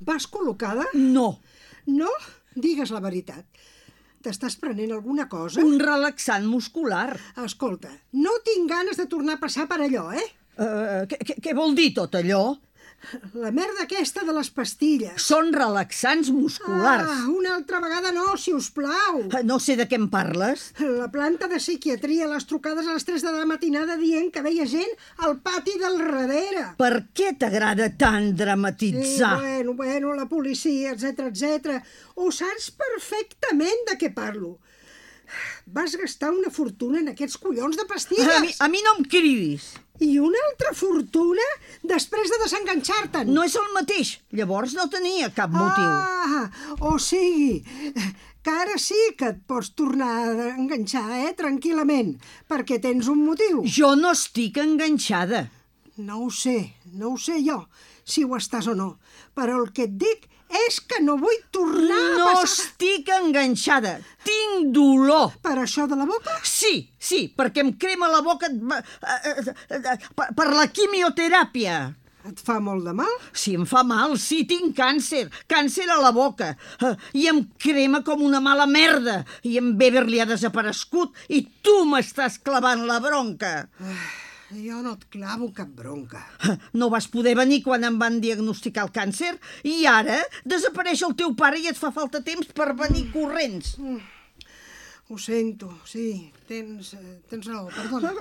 Vas col·locada? No, No? Digues la veritat. T'estàs prenent alguna cosa? un relaxant muscular. Escolta, no tinc ganes de tornar a passar per allò, eh? Què vol dir tot allò? La merda aquesta de les pastilles. Són relaxants musculars. Una altra vegada no, si us plau. No sé de què em parles. La planta de psiquiatria, les trucades a les 3 de la matinada dient que veia gent al pati del darrere. Per què t'agrada tant dramatitzar? Sí, bueno, la policia, etc. Ho saps perfectament de què parlo. Vas gastar una fortuna en aquests collons de pastilles. A mi no em cridis. I una altra fortuna després de desenganxar-te'n. No és el mateix. Llavors no tenia cap motiu. O sigui, que ara sí que et pots tornar a enganxar, tranquil·lament, perquè tens un motiu. Jo no estic enganxada. No ho sé jo, si ho estàs o no, però el que et dic és que no vull tornar a No passar... estic enganxada. Tinc dolor. Per això de la boca? Sí, perquè em crema la boca per la quimioteràpia. Et fa molt de mal? Sí, em fa mal, sí, tinc càncer a la boca, i em crema com una mala merda, i en Beverly ha desaparegut, i tu m'estàs clavant la bronca. Jo no et clavo cap bronca. No vas poder venir quan em van diagnosticar el càncer, i ara desapareix el teu pare i et fa falta temps per venir corrents. Ho sento, sí, tens raó, perdona.